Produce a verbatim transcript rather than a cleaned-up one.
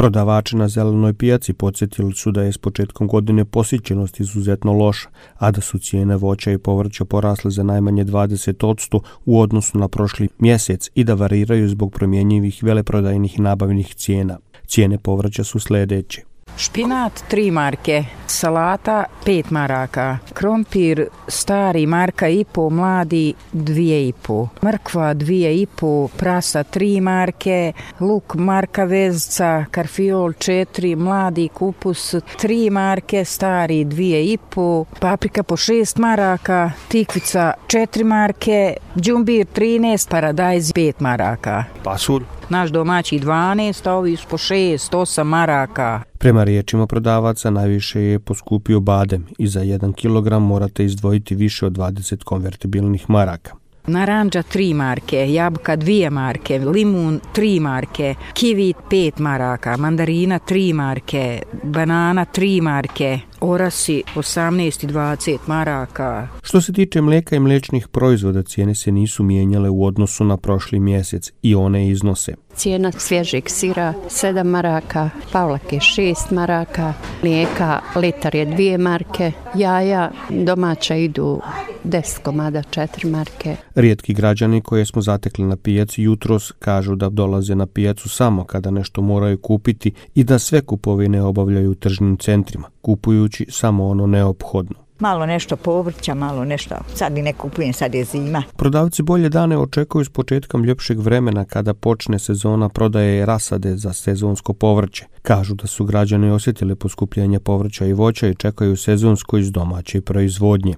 Prodavači na zelenoj pijaci podsjetili su da je s početkom godine posjećenost izuzetno loša, a da su cijene voća i povrća porasle za najmanje dvadeset posto u odnosu na prošli mjesec i da variraju zbog promjenjivih veleprodajnih nabavnih cijena. Cijene povrća su sljedeće. Špinat tri marke, salata pet maraka, krompir stari marka i po, mladi dvije i po, mrkva dvije i po, prasa tri marke, luk marka vezca, karfiol četiri, mladi kupus tri marke, stari dvije i po, paprika po šest maraka, tikvica četiri marke, džumbir trinaest, paradajz pet maraka. Pasulj? Naš domaći dvanaest, a ovi su po šest, osam maraka. Prema riječima prodavaca najviše je poskupio badem i za jedan kilogram morate izdvojiti više od dvadeset konvertibilnih maraka. Naranđa tri marke, jabuka dvije marke, limun tri marke, kivi pet maraka, mandarina tri marke, banana tri marke, orasi osamnaest i dvadeset maraka. Što se tiče mlijeka i mliječnih proizvoda, cijene se nisu mijenjale u odnosu na prošli mjesec i one iznose. Cijena svježeg sira sedam maraka, pavlake šest maraka, mlijeka litar je dvije marke, jaja domaća idu deset komada četiri marke. Rijetki građani koje smo zatekli na pijaci jutros kažu da dolaze na pijacu samo kada nešto moraju kupiti i da sve kupovine obavljaju u tržnim centrima, kupujući samo ono neophodno. Malo nešto povrća, malo nešto, sad i ne kupujem, sad je zima. Prodavci bolje dane očekuju s početkom ljepšeg vremena kada počne sezona prodaje rasade za sezonsko povrće. Kažu da su građani osjetili poskupljenje povrća i voća i čekaju sezonsko iz domaće proizvodnje.